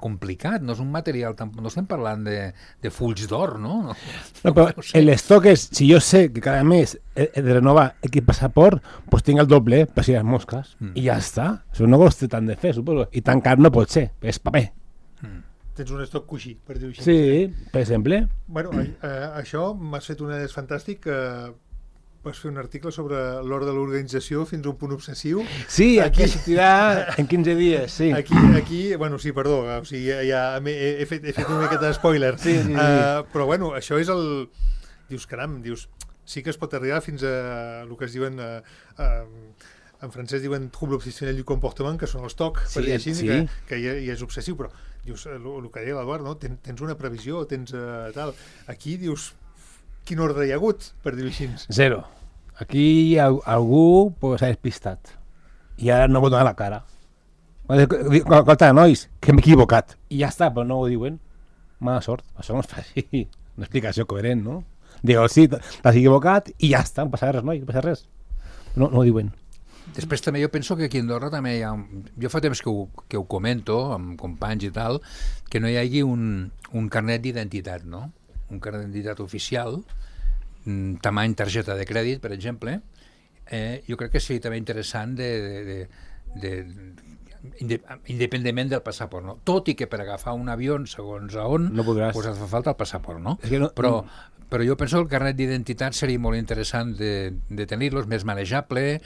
complicat, no és un material, no estem parlant de fulls d'or, no? No, però l'estoc és, si jo sé que cada mes he de renovar aquest passaport, doncs tinc el doble per si les mosques, i ja està. Això no costa tant de fer, suposo, i tan car no pot ser, és paper. Tens un estoc coixí, per dir-ho així. Sí, per exemple. Bueno, això m'has fet un és fantàstic que vas fer un article sobre l'hora de l'organització fins a un punt obsessiu. Sí, aquí sortirà en 15 dies, sí. Aquí, bueno, sí, perdó, o sigui, ja he fet una miqueta de spoiler. Sí. Però bueno, això és el... Dius, caram, sí que es pot arribar fins a el que es diuen... en francès diuen trouble obsessionnel du comportement, que són els TOC, per dir així, que ja és obsessiu, però dius, el que deia l'Eduard, no? Tens una previsió, tens tal... Aquí dius... Quin ordre hi ha hagut, per dir-ho així? Zero. Aquí algú s'ha despistat i ara no pot donar la cara. Escolta, nois, que m'he equivocat. I ja està, però no ho diuen. Mala sort. Això no es fa així. Una explicació coherent, no? Digo, sí, t'has equivocat i ja està, no passa res, noi, no passa res. No ho diuen. Després també jo penso que aquí a Andorra també hi ha... Jo fa temps que ho comento amb companys i tal, que no hi hagi un carnet d'identitat, no? Un carnet d'identitat oficial, tamany targeta de crèdit, per exemple, jo crec que seria també interessant independentment del passaport, no? Tot i que per agafar un avió, segons a on, no podràs. Pues fa falta el passaport, no? És que no però jo penso que el carnet d'identitat seria molt interessant de tenir-lo, és més manejable,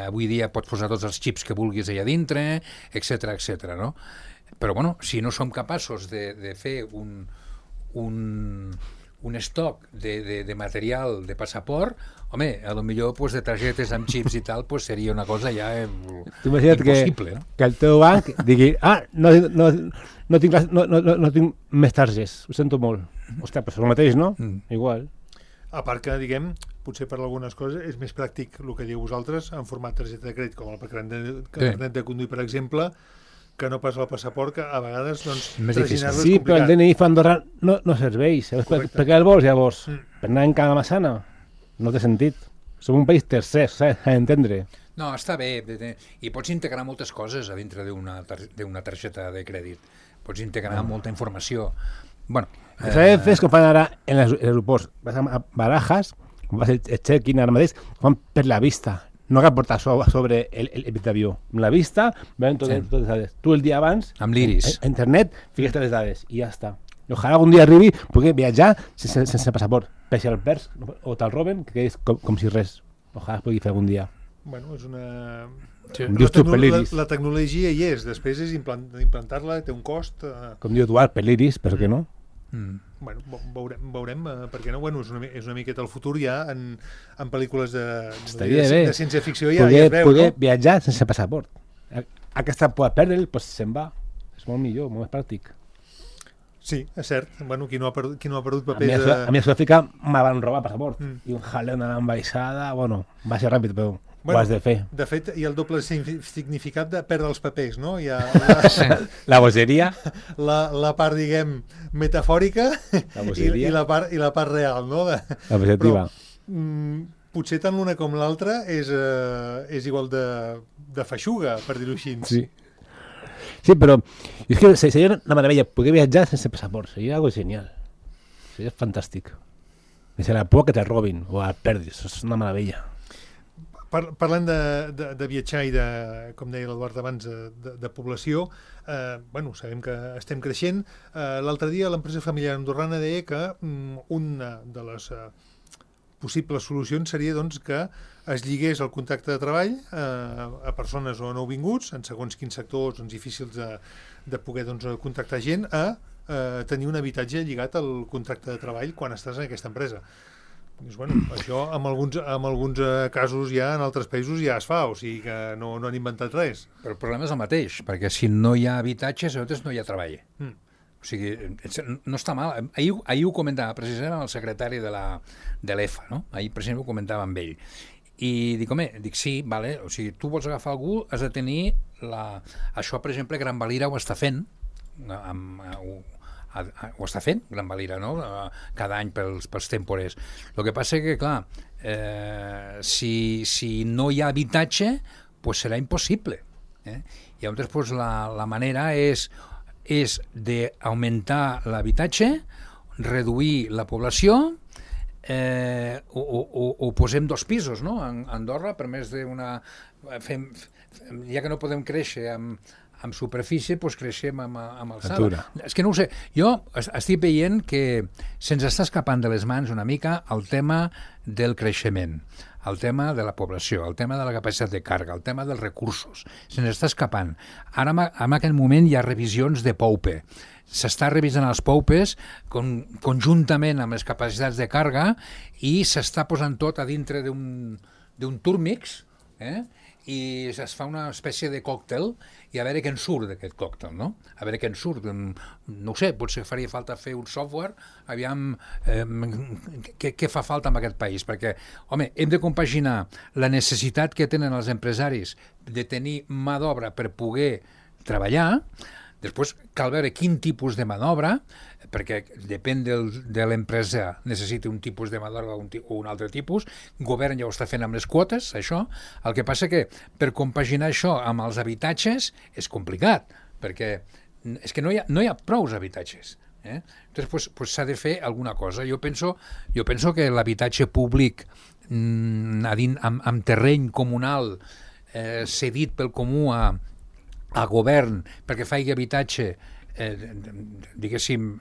avui dia pots posar tots els xips que vulguis allà dintre, etc, no? Però, bueno, si no som capaços de fer un estoc de material de passaport, home, a lo millor pues, de targetes amb xips i tal pues, seria una cosa ja impossible. Que el teu banc digui no tinc més targes, ho sento molt. Ostres, però és el mateix, no? Igual. A part que, diguem, potser per algunes coses és més pràctic el que dieu vosaltres en format targeta de crèdit, com el carnet de conduir, per exemple, que no pas el passaport, que a vegades doncs, traginar-lo és complicat. Sí, però el DNI fa Andorra no serveix. Per què el vols, llavors? Per anar en cada massana? No té sentit. Som un país tercer, s'ha d'entendre. No, està bé. I pots integrar moltes coses a dintre d'una targeta de crèdit. Pots integrar molta informació. Bueno, s'ha de fer com fan ara en els aeroports. Vas a Barajas, vas el check-in ara mateix, fan per la vista. No cal portar sobre el d'avió. Amb la vista, veuen totes les dades. Tu el dia abans, amb l'iris, a internet, fiques les dades i ja està. I ojalà algun dia arribi poder viatjar sense passaport. Per si el perds o te'l roben, que és com si res. Ojalà es pugui fer algun dia. Bueno, és una... La tecnologia hi és, després és implantar-la, té un cost... Com diu Eduard, per l'iris, per què no? Bueno, veurem per què no? Bueno, és una miqueta el futur ja en pel·lícules de ciència-ficció ja es veu, poder no? viatjar sense passaport. Aquesta por a perdre'l, doncs se'n va. És molt millor, molt més pràctic. Sí, és cert. Bueno, qui no ha perdut papers... A mi a Sud-àfrica me van robar passaport. I un jaleo de l'ambaixada, bueno, va ser ràpid, però ho has de fer. De fet, hi ha el doble significat de perdre els papers, no? Hi ha la bogeria. La part, diguem, metafòrica i la part real, no? L'objectiva. Potser tant l'una com l'altra és igual de feixuga, per dir-ho així. Sí, però és que seria una meravella poder viatjar sense passaport, seria algo genial, seria fantàstic. Sense la por que te robin o el perdis, és una meravella. Parlant de viatjar i de, com deia l'Eduard abans, de població, bueno, sabem que estem creixent. L'altre dia l'empresa familiar andorrana deia que una de les possibles solucions seria doncs, que es lligués el contracte de treball a persones o nouvinguts, en segons quins sectors difícils de poder contractar gent, a tenir un habitatge lligat al contracte de treball quan estàs en aquesta empresa. Doncs, bueno, això en alguns casos ja en altres països ja es fa, o sigui que no han inventat res. Però el problema és el mateix, perquè si no hi ha habitatge, llavors no hi ha treball. O sigui, no està mal. Ahir ho comentava precisament amb el secretari de l'EFA, no? Ahir precisament ho comentava amb ell. I dic, sí, vale, o sigui, tu vols agafar algú, has de tenir això, per exemple, Gran Valira ho està fent, ho està fent, Gran Valira, no? Cada any pels temporers. El que passa que, clar, si no hi ha habitatge, pues serà impossible. I llavors, pues, la manera és d'augmentar l'habitatge, reduir la població, o posem 2 pisos, no? A Andorra, per més d'una... Ja que no podem créixer amb superfície, doncs creixem amb alçada. És que no ho sé. Jo estic veient que se'ns està escapant de les mans una mica el tema del creixement, el tema de la població, el tema de la capacitat de càrrega, el tema dels recursos. Se'ns està escapant. Ara, en aquest moment, hi ha revisions de POUPE. S'està revisant els POUPEs conjuntament amb les capacitats de càrrega i s'està posant tot a dintre d'un túrmix, i es fa una espècie de còctel i a veure què en surt d'aquest còctel, no? A veure què en surt. No ho sé, potser faria falta fer un software, aviam què fa falta en aquest país, perquè, home, hem de compaginar la necessitat que tenen els empresaris de tenir mà d'obra per poder treballar. Després cal veure quin tipus de mà d'obra, perquè depèn de l'empresa, necessita un tipus de mà d'obra o un altre tipus. El govern ja ho està fent amb les quotes, això. El que passa que per compaginar això amb els habitatges és complicat, perquè és que no hi ha prous habitatges. Llavors s'ha de fer alguna cosa. Jo penso que l'habitatge públic amb terreny comunal cedit pel comú a govern perquè faci habitatge diguéssim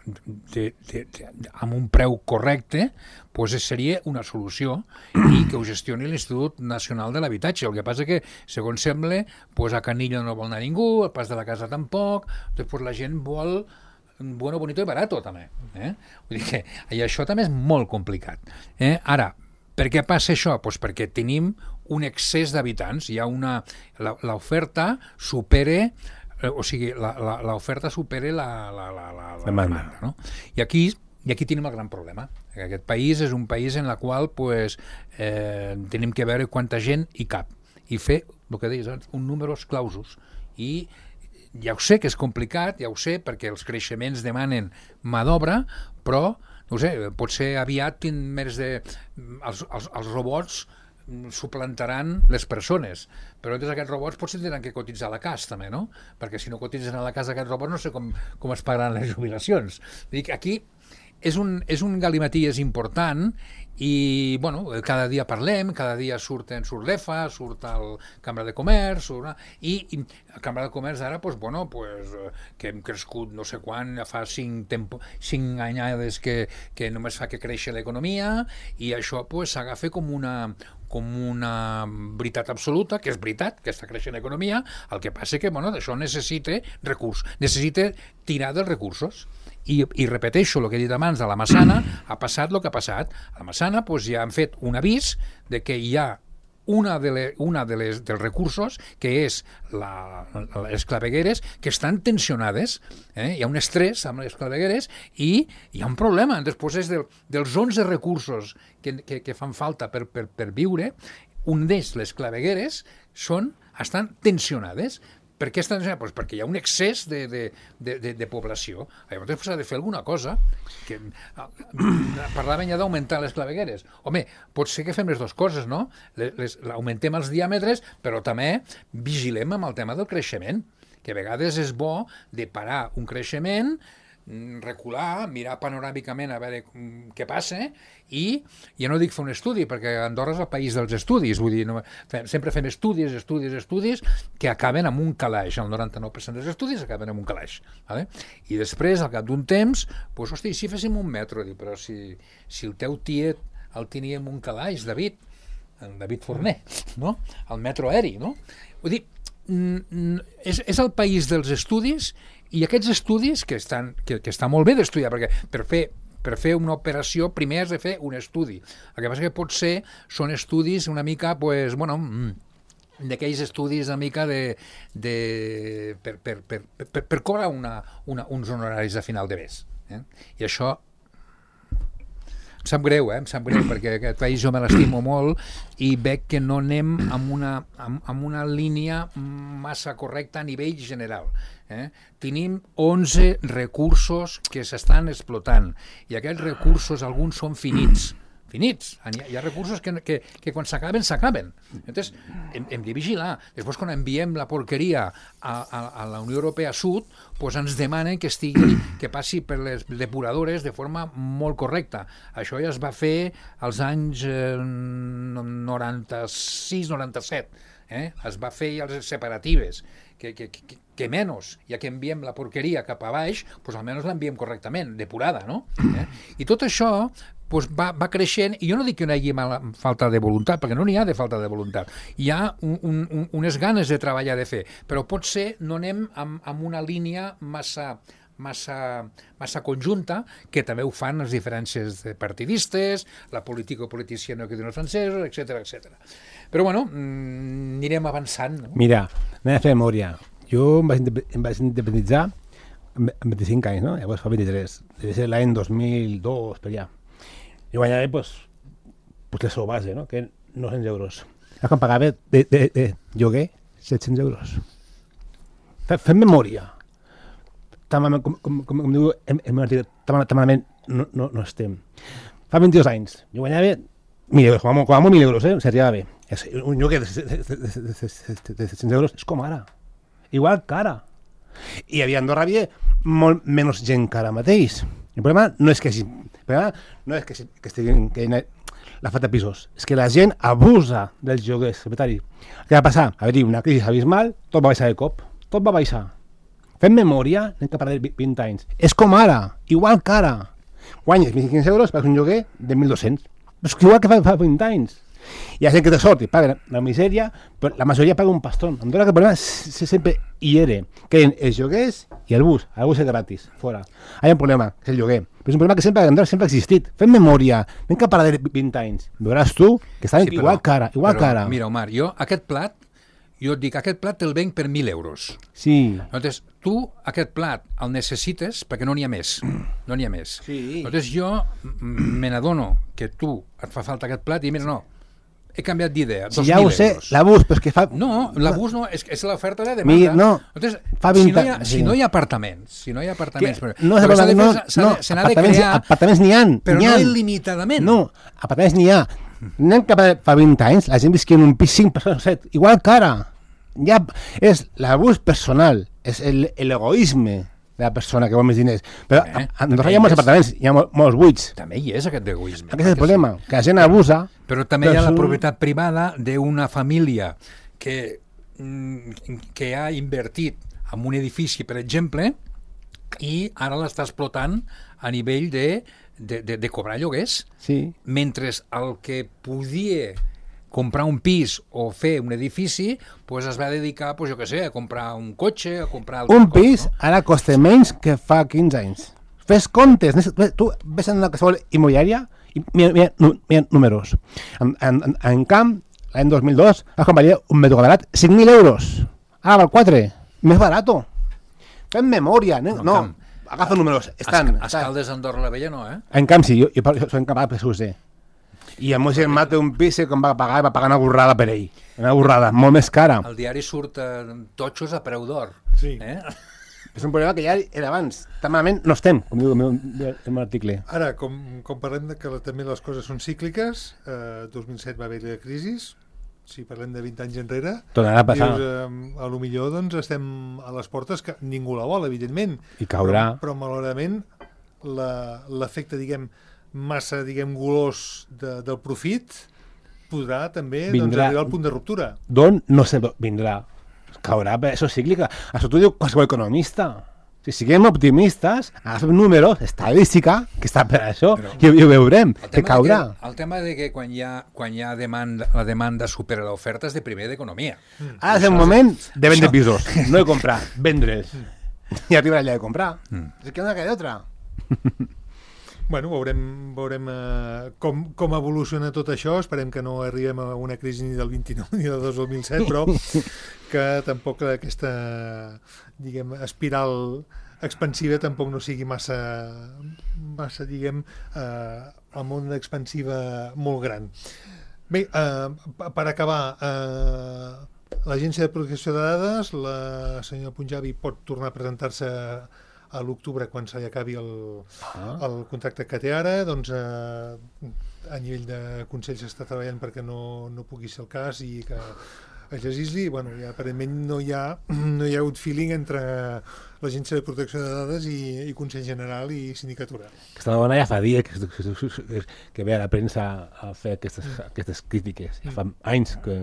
amb un preu correcte, doncs seria una solució, i que ho gestioni l'Institut Nacional de l'Habitatge. El que passa que, segons sembla, a Canillo no vol anar ningú, al Pas de la Casa tampoc, després la gent vol bueno, bonito i barato també. Vull dir que això també és molt complicat. Ara, per què passa això? Doncs perquè tenim un excés d'habitants, hi ha l'oferta supera, o sigui, l'oferta supera la demanda, no? I aquí tenim el gran problema. Aquest país és un país en el qual tenim que veure quanta gent hi cap i fer, el que deies, un números clausus. I ja ho sé que és complicat, ja ho sé, perquè els creixements demanen mà d'obra, però no ho sé, potser aviat els robots suplantaran les persones, però entre aquests robots potser tindran que cotitzar a la CAS també, no? Perquè si no cotitzen a la CAS aquests robots no sé com es pagaran les jubilacions. Dic, aquí és un galimaties important i, bueno, cada dia parlem, cada dia surt l'EFA, surt el Cambra de Comerç, i la Cambra de Comerç ara, que hem crescut no sé quan, fa 5 anyades que només fa que créixer l'economia, i això s'agafa com una veritat absoluta, que és veritat, que està creixent l'economia. El que passa que, això necessita recursos, necessita tirar dels recursos, I repeteixo el que he dit abans, a la Massana ha passat el que ha passat. A la Massana ja han fet un avís de que hi ha dels recursos, que és les clavegueres, que estan tensionades. Hi ha un estrès amb les clavegueres i hi ha un problema. Després és dels 11 recursos que fan falta per viure, un d'ells, les clavegueres, estan tensionades. Per què estan tensionades? Pues perquè hi ha un excés de població. Llavors s'ha de fer alguna cosa. Parlaven ja d'augmentar les clavegueres. Home, pot ser que fem les dues coses, no? Augmentem els diàmetres, però també vigilem amb el tema del creixement, que a vegades és bo de parar un creixement, recular, mirar panoràmicament a veure què passa, i ja no dic fer un estudi, perquè Andorra és el país dels estudis, vull dir, sempre fem estudis que acaben amb un calaix. El 99% dels estudis acaben amb un calaix. Vale? I després, al cap d'un temps, doncs, hosti, si féssim un metro, però si el teu tiet el tenia amb un calaix, David Forner, no? El metro aeri, no? Vull dir, és el país dels estudis, i aquests estudis que està molt bé d'estudiar, perquè per fer una operació primer has de fer un estudi. El que passa que potser són estudis una mica, pues, bueno, d'aquells estudis una mica per cobrar uns honoraris a final de mes. I això em sap greu, perquè aquest país jo me l'estimo molt i veig que no anem amb una línia massa correcta a nivell general. Tenim 11 recursos que s'estan explotant i aquests recursos, alguns són finits. Hi ha recursos que quan s'acaben. Llavors, hem de vigilar. Després, quan enviem la porqueria a la Unió Europea Sud, doncs ens demanen que passi per les depuradores de forma molt correcta. Això ja es va fer als anys 96-97. Es va fer ja les separatives, que menys, ja que enviem la porqueria cap a baix, doncs almenys l'enviem correctament, depurada, no? I tot això doncs va creixent, i jo no dic que no hi hagi falta de voluntat, perquè no n'hi ha de falta de voluntat. Hi ha unes ganes de treballar, de fer, però potser no anem amb una línia massa conjunta, que també ho fan les diferències partidistes, la política-politicià que diuen els francesos, etc. Però bueno, anirem avançant. No? Mira, anem a fer memòria. Jo em vaig independitzar amb 25 anys, no? Llavors fa 23. Deve ser l'any 2002, per allà. I guanyava, pues la seva base, no? Que 900 euros. Ara quan pagava de lloguer 700 euros. Fem memòria. Com diu en l'article, tan malament no estem. Fa 22 anys. Jo guanyava 1.000 euros, com a molt 1.000 euros, si arribava bé. Un lloguer de 700 euros és com ara. Igual que ara. I a Andorra havia molt menys gent que ara mateix. El problema no és que estiguin la falta de pisos, és que la gent abusa dels lloguers, secretari. Què va passar? Va haver-hi una crisi abismal, tot va baixar de cop, tot va baixar. Fem memòria, anem cap a 20 anys. És com ara, igual que ara. Guanyes 1.500 euros, pagues un lloguer de 1.200. És igual que fa 20 anys. Hi ha gent que té sort i paga la misèria, però la majoria paga un pastón. Andorra, que el problema sempre hi era, que els lloguers i el bus és gratis, fora. Hi ha un problema, que és el lloguer. Però és un problema que sempre a Andorra sempre ha existit. Fem memòria, anem cap a 20 anys. Veuràs tu que estan igual que ara. Mira, Omar, jo et dic, aquest plat te'l venc per 1.000 euros. Sí. Llavors, tu aquest plat el necessites perquè no n'hi ha més. Sí. Llavors, jo me n'adono que tu et fa falta aquest plat i mira, no, he canviat d'idea, 2.000 euros. Ja ho sé, l'abús, però és que fa... No, l'abús no, és l'oferta de demanda. No, llavors, fa 20 anys. Si no hi ha apartaments, apartaments n'hi ha. Però no il·limitadament. No, apartaments n'hi ha. Anem cap a fa 20 anys, la gent visquia en un pis 5 persones, 7, igual que ara. Ja és l'abús personal, és l'egoisme de la persona que vol més diners. Però a Andorra hi ha molts apartaments, hi ha molts buits. També hi és aquest egoisme. Aquest és el problema, que la gent abusa. Però també hi ha la propietat privada d'una família que ha invertit en un edifici, per exemple, i ara l'està explotant a nivell de cobrar lloguers. Sí. Mentre el que podia comprar un pis o fer un edifici, pues es va dedicar, jo què sé, a comprar un cotxe, a comprar... Un pis ara costa menys que fa 15 anys. Fes comptes. Tu ves en una qualsevol immobiliària i mira números. En camp, l'any 2002, quan valia un metro quadrat 5.000 euros. Ara val 4. Més barato. Fem memòria. No, agafa números. Escaldes Andorra la Vella no, eh? En camp sí, jo soc incapaz de ser. I el meu germà té un pis que va pagar una borrada per ell. Una borrada, molt més cara. El diari surt totxos a preu d'or. Sí. És un problema que ja era abans. Tan malament no estem, com diu el meu article. Ara, com parlem que també les coses són cícliques, 2007 va haver la crisi, si parlem de 20 anys enrere, tornarà a passar. Dius, a lo millor doncs, estem a les portes, que ningú la vol, evidentment. I caurà. Però malauradament, l'efecte, massa, golós del profit podrà també arribar al punt de ruptura. D'on no se vindrà. Caurà, això és cíclica. Això t'ho diu qualsevol economista. Si siguem optimistes, agafem números, estadística, que està per això, i ho veurem, que caurà. El tema de que quan hi ha demanda, la demanda supera l'oferta és de primer d'economia. Ara és el moment de vendre pisos, no de comprar, vendre'ls. I arribarà allà de comprar. És que no hi ha d'altra. Bueno, veurem com evoluciona tot això. Esperem que no arribem a una crisi ni del 29 ni del 2007, però que tampoc aquesta, espiral expansiva tampoc no sigui massa amb una expansiva molt gran. Bé, per acabar, l'Agència de Protecció de Dades, la senyora Punjabi pot tornar a presentar-se a l'octubre quan se li acabi el contracte que té ara, doncs a nivell de Consell s'està treballant perquè no pugui ser el cas i que es legisli. Bueno, ja, aparentment no hi ha hagut feeling entre l'Agència de Protecció de Dades i Consell General i Sindicatura. Aquesta dona ja fa dies que ve a la premsa a fer aquestes crítiques. Ja fa anys que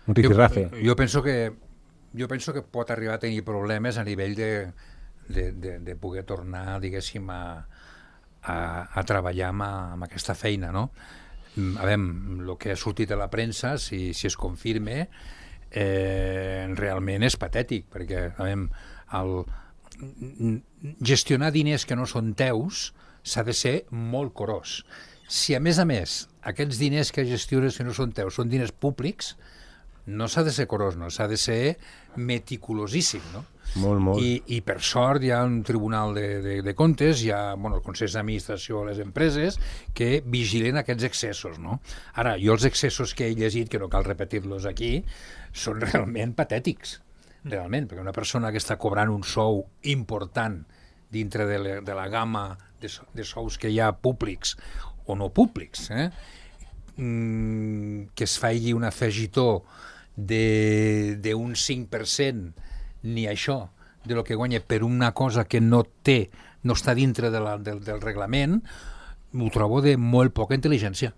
un rifirrafe. Jo penso que pot arribar a tenir problemes a nivell de poder tornar, diguéssim, a treballar amb aquesta feina, no? A veure, el que ha sortit a la premsa, si es confirma, realment és patètic, perquè, a veure, gestionar diners que no són teus s'ha de ser molt curós. Si, a més, aquests diners que gestiones que no són teus són diners públics, no s'ha de ser curós, no, s'ha de ser meticulosíssim, no? Molt. I per sort hi ha un tribunal de comptes, hi ha el Consell d'Administració de les empreses que vigilen aquests excessos, no? Ara, jo els excessos que he llegit, que no cal repetir-los aquí, són realment patètics, realment, perquè una persona que està cobrant un sou important dintre de la gamma de sous que hi ha públics o no públics, que es faci un afegitó d'un 5%, ni això, de lo que guanya per una cosa que no està dintre del reglament, ho trobo de molt poca intel·ligència.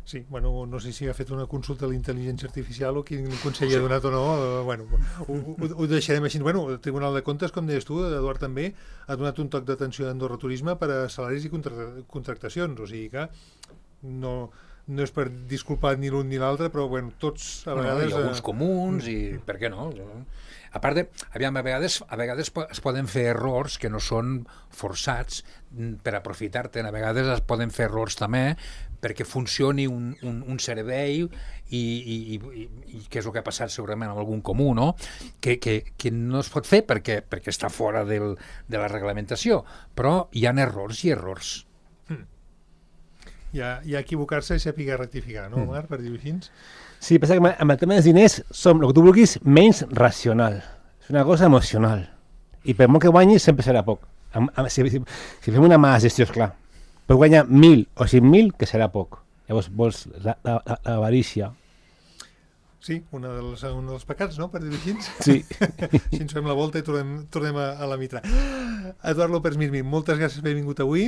Sí, bueno, no sé si ha fet una consulta a la intel·ligència artificial o quin consell ha donat o no. Bueno, ho deixarem així. Bueno, el Tribunal de Comptes, com deies tu, Eduard també, ha donat un toc d'atenció a Andorra Turisme per a salaris i contractacions, o sigui que no és per disculpar ni l'un ni l'altre, però bueno, tots a vegades... Hi ha alguns comuns i per què no? A part a vegades es poden fer errors que no són forçats per aprofitar-te'n, a vegades es poden fer errors també perquè funcioni un servei i què és el que ha passat segurament amb algun comú, no? Que no es pot fer perquè està fora de la reglamentació, però hi ha errors i errors. Hi ha equivocar-se i saber rectificar, no, Marc, per dir-ho així? Sí, passa que amb el tema dels diners som, el que tu vulguis, menys racional. És una cosa emocional. I per molt que guanyis, sempre serà poc. Si fem una mala gestió, esclar, pots guanyar 1.000 o 5.000, que serà poc. Llavors vols l'avarícia. Sí, un dels pecats, no?, per dir-ho així. Sí. Si ens fem la volta i tornem a la mitra. Eduard López Mirmi, moltes gràcies per haver vingut avui.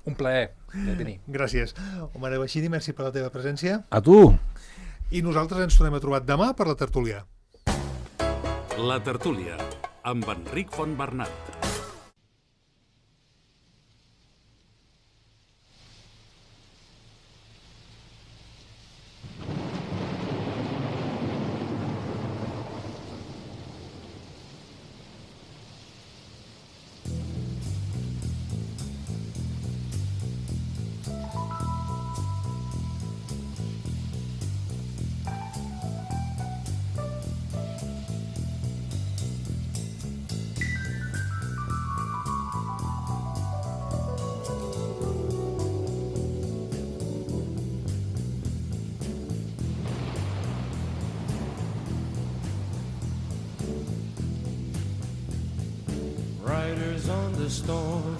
Un plaer de tenir. Gràcies. Omar Bashiri, merci per la teva presència. A tu. I nosaltres ens tornem a trobar demà per la tertúlia. La tertúlia, amb Enric Fontbernat. storm.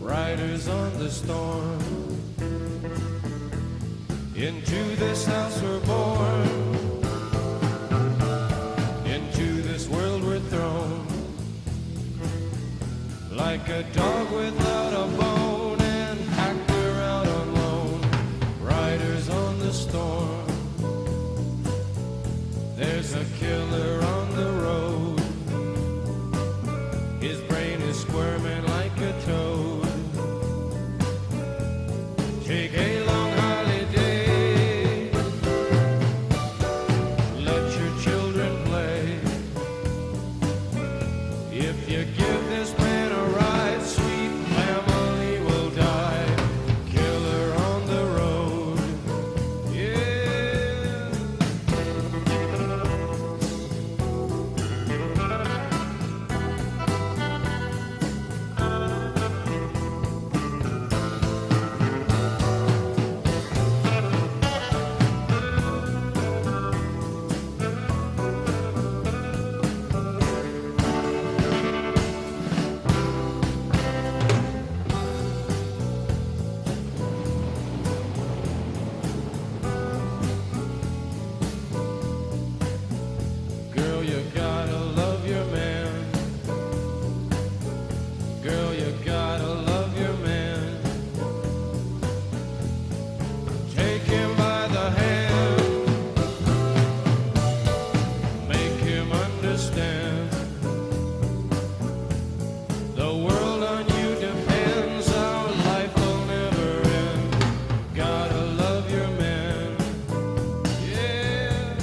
Riders on the storm. Into this house we're born. Into this world we're thrown. Like a dog without a bone and packed around alone. Riders on the storm. There's a killer on the road. His brain is squirming like a toad. Take a long holiday. Let your children play. If you give this man a ride, sweet family will die. Killer on the road. Yeah. Girl, you gotta love your man. Girl, you gotta love your man. Take him by the hand. Make him understand. The world on you depends. Our life will never end. Gotta love your man. Yeah.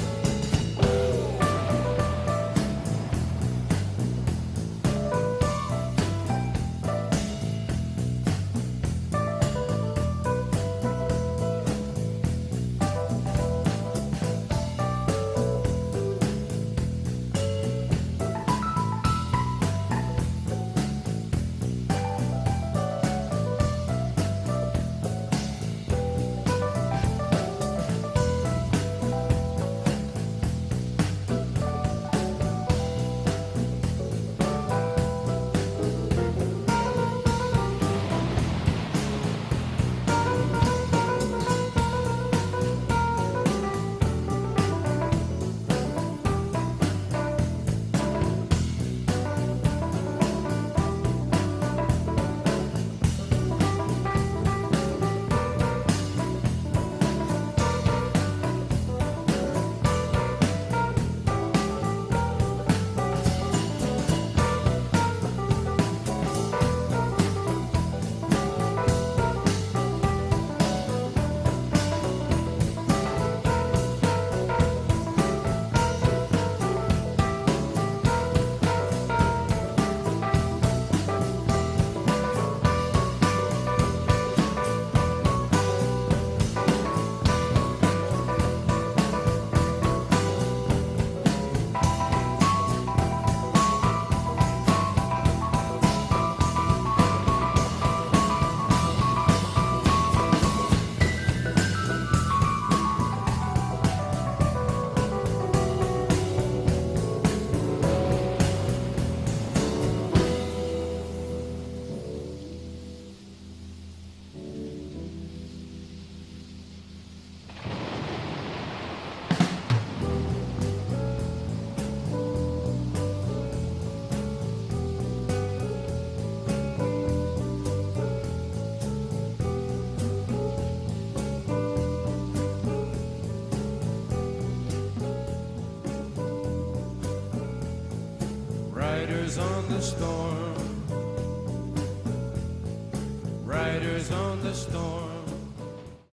Riders on the storm. Riders on the storm.